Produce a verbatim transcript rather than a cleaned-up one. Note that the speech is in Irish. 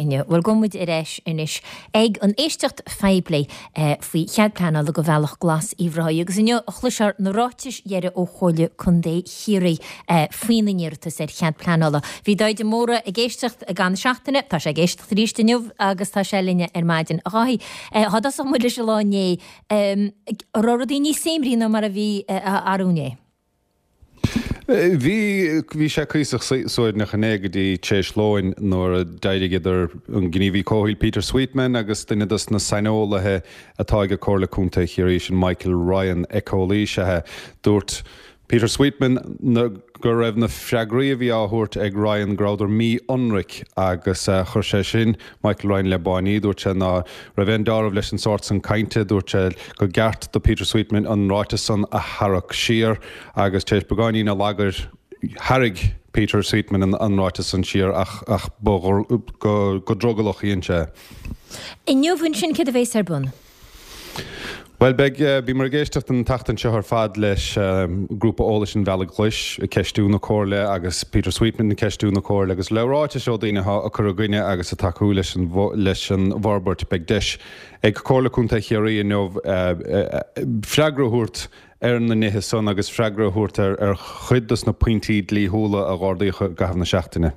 inniu. Bhuel, gabhfaidh muid ar ais anois ag an éisteacht phoiblí faoi chead pleanála do Bhealach Glas Uíbh Ráthaigh agus inniu a chloisfear na ráitis dheiridh ó Chomhairle Contae Chiarraí faoina n-iarratas ar chead pleanála. Bhí Dáithí de Mórdha ag éisteacht i gcaitheamh na seachtaine, tá sé ag éisteacht arís inniu agus tá sé linne ar maidin. A Dháithí, dá dtosódh muid leis an lá inné, an raibh rudaí níos suaimhní ná mar a bhí arú inné? Bhí, bhí sé cuíosach suaimhneach inné go dtí tar éis lóin nuair a d'éirigh idir an gníomhaí comhshaoil Peter Sweetman agus duine dos na saineolaithe atá ag Comhairle Contae Chiarraí, sin Michael Ryan, éiceolaí is ea é. Dúirt Peter Sweetman go raibh na freagraí a bhí á thabhairt ag Ryan go rabhadar mí-ionraic agus chuir sé sin Michael Ryan le báiní. Dúirt sé ná raibh aon dealramh leis an sórt san cainte. Dúirt sé go gceart do Peter Sweetman an ráiteas san a tharrac siar agus tar éis beagáinín allagair tharraing Peter Sweetman an ráiteas san siar ach ach ba go drogallach a dhein sé é. Inniu ansin céard a bheas ar bun? Bhuel, beidh, bhíomar ag éisteacht an tseachtain seo ar fad leis Grúpa Eolais an Bhealaigh Ghlais ag ceistiú na Comhairle agus Peter Sweetman ag ceistiú na Comhairle agus le ráitis ó daoine atá ag cur i gcoinne agus ag tacú leis an leis an bhforbairt. Beidh deis ag Comhairle Contae Chiarraí inniu freagra a thabhairt ar na nithe san agus freagra a thabhairt ar ar chuid dos na pointí dlíthiúla a ardaíodh i gcaitheamh na seachtaine.